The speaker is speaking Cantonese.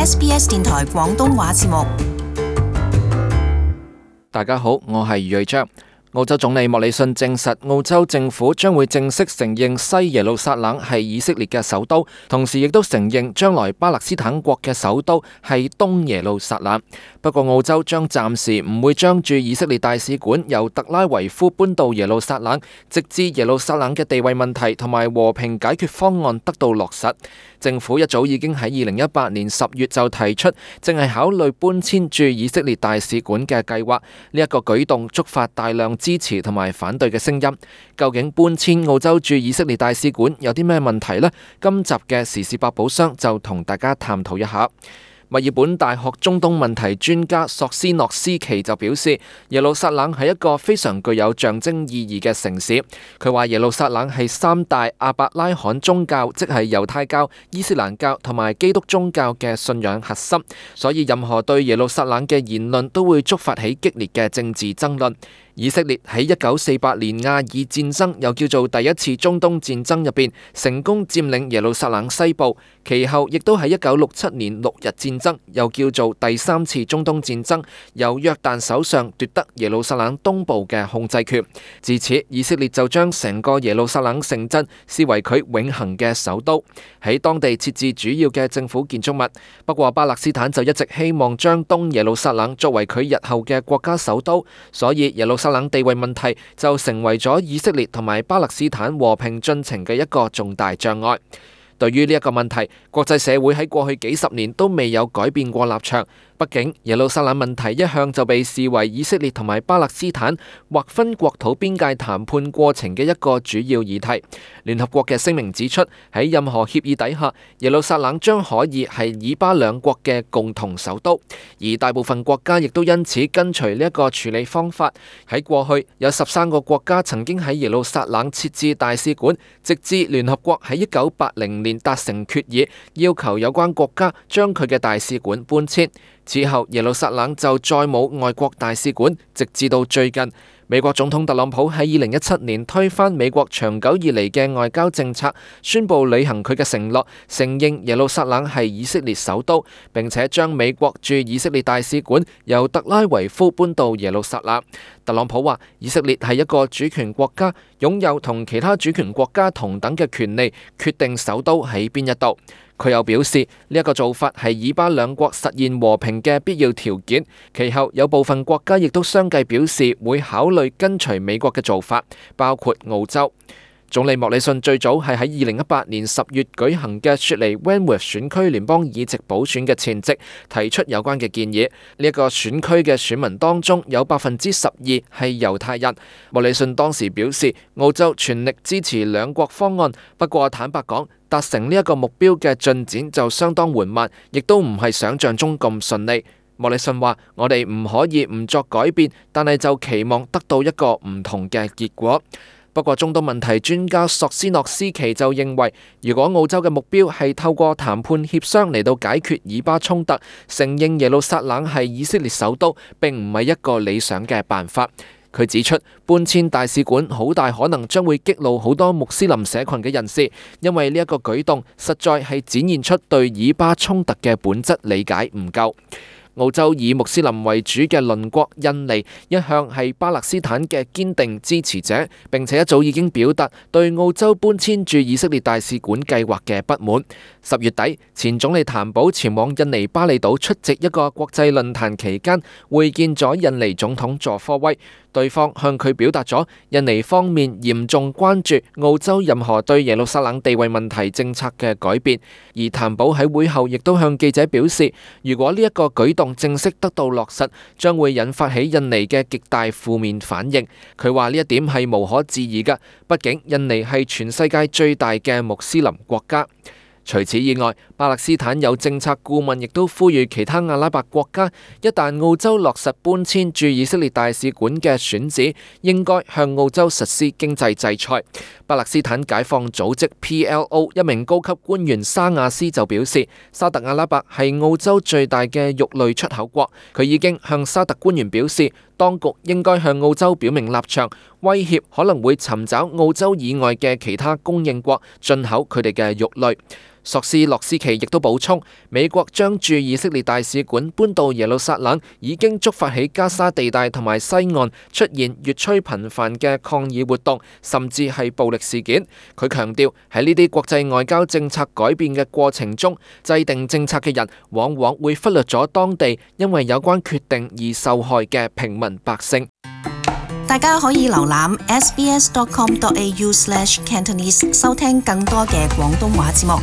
SBS 電台廣東話節目。大家好，我係余瑞章。澳洲總理莫里遜證實，澳洲政府將會正式承認西耶路撒冷係以色列嘅首都，同時亦都承認將來巴勒斯坦國嘅首都係東耶路撒冷。不過澳洲將暫時唔會將駐以色列大使館由特拉維夫搬到耶路撒冷，直至耶路撒冷嘅地位問題同埋和平解決方案得到落實。政府一早已經喺2018年10月就提出，正係考慮搬遷駐以色列大使館嘅計劃。呢一個舉動觸發大量支持同埋反對嘅聲音。究竟搬遷澳洲駐以色列大使館有啲咩問題呢？今集嘅時事百寶箱就同大家探討一下。墨爾本大學中東問題專家索斯諾斯奇就表示，耶路撒冷係一個非常具有象徵意義嘅城市。佢話耶路撒冷係三大亞伯拉罕宗教，即係猶太教、伊斯蘭教同埋基督宗教嘅信仰核心，所以任何對耶路撒冷嘅言論都會觸發起激烈嘅政治爭論。以色列喺1948年亞爾戰爭，又叫做第一次中東戰爭入邊，成功佔領耶路撒冷西部。其後亦都喺1967年6日戰爭，又叫做第三次中東戰爭，由約旦手上奪得耶路撒冷東部嘅控制權。自此，以色列就將成個耶路撒冷城鎮視為佢永恆嘅首都，喺當地設置主要嘅政府建築物。不過巴勒斯坦就一直希望將東耶路撒冷作為佢日後嘅國家首都，所以耶路撒冷地位問題就成為咗以色列同埋巴勒斯坦和平進程嘅一個重大障礙。對於呢一個問題，國際社會喺過去幾十年都未有改變過立場。畢竟耶路撒冷問題一向就被視為以色列同埋巴勒斯坦劃分國土邊界談判過程嘅一個主要議題。聯合國嘅聲明指出，喺任何協議底下，耶路撒冷將可以係以巴兩國嘅共同首都，而大部分國家亦都因此跟隨呢一個處理方法。喺過去有13個國家曾經喺耶路撒冷設置大使館，直至聯合國喺1980年達成決議，要求有關國家將佢嘅大使館搬遷。此後耶路撒冷就再冇外國大使館，直至到最近，美國總統特朗普喺2017年推翻美國長久以嚟嘅外交政策，宣布履行佢嘅承諾，承認耶路撒冷係以色列首都，並且將美國駐以色列大使館由特拉維夫搬到耶路撒冷。特朗普話，以色列係一個主權國家，擁有同其他主權國家同等嘅權利，決定首都喺邊一度。佢又表示，呢一個做法係以巴兩國實現和平嘅必要條件。其後有部分國家亦都相繼表示會考慮跟隨美國嘅做法，包括澳洲。總理莫里遜最早係喺2018年10月舉行嘅雪梨 Wentworth 選區聯邦議席補選嘅前夕提出有關嘅建議。呢一個選區嘅選民當中有12%係猶太人。莫里遜當時表示，澳洲全力支持兩國方案，不過坦白講，達成呢一個目標嘅進展就相當緩慢，亦都唔係想象中咁順利。莫里遜話：我哋唔可以唔作改變，但係就期望得到一個唔同嘅結果。不過中東問題專家索斯諾斯奇就認為，如果澳洲嘅目標係透過談判協商嚟到解決以巴衝突，承認耶路撒冷係以色列首都，並唔係一個理想嘅辦法。佢指出，搬遷大使館好大可能將會激怒好多穆斯林社群嘅人士，因為呢一個舉動實在係展現出對以巴衝突嘅本質理解唔夠。澳洲以穆斯林為主嘅鄰國印尼一向係巴勒斯坦嘅堅定支持者，並且一早已經表達對澳洲搬遷駐以色列大使館計劃嘅不滿。10月底，前總理譚寶前往印尼巴厘島出席一個國際論壇期間，會見咗印尼總統佐科威。對方向佢表達咗印尼方面嚴重關注澳洲任何對耶路撒冷地位問題政策嘅改變，而譚寶喺會後亦都向記者表示，如果呢一個舉動正式得到落實，將會引發起印尼嘅極大負面反應。佢話呢一點係無可置疑㗎，畢竟印尼係全世界最大嘅穆斯林國家。除此以外，巴勒斯坦有政策顧問亦都呼籲其他阿拉伯國家，一旦澳洲落實搬遷駐以色列大使館嘅選址，應該向澳洲實施經濟制裁。巴勒斯坦解放組織 PLO 一名高級官員沙亞斯就表示，沙特阿拉伯係澳洲最大嘅肉類出口國，佢已經向沙特官員表示，當局應該向澳洲表明立場，威脅可能會尋找澳洲以外嘅其他供應國進口佢哋嘅肉類。索斯洛斯奇亦都補充，美國將駐以色列大使館搬到耶路撒冷，已經觸發起加沙地帶同埋西岸出現越趨頻繁嘅抗議活動，甚至係暴力事件。佢強調喺呢啲國際外交政策改變嘅過程中，制定政策嘅人往往會忽略咗當地因為有關決定而受害嘅平民百姓。大家可以瀏覽 sbs.com.au/cantonese 收聽更多嘅廣東話節目。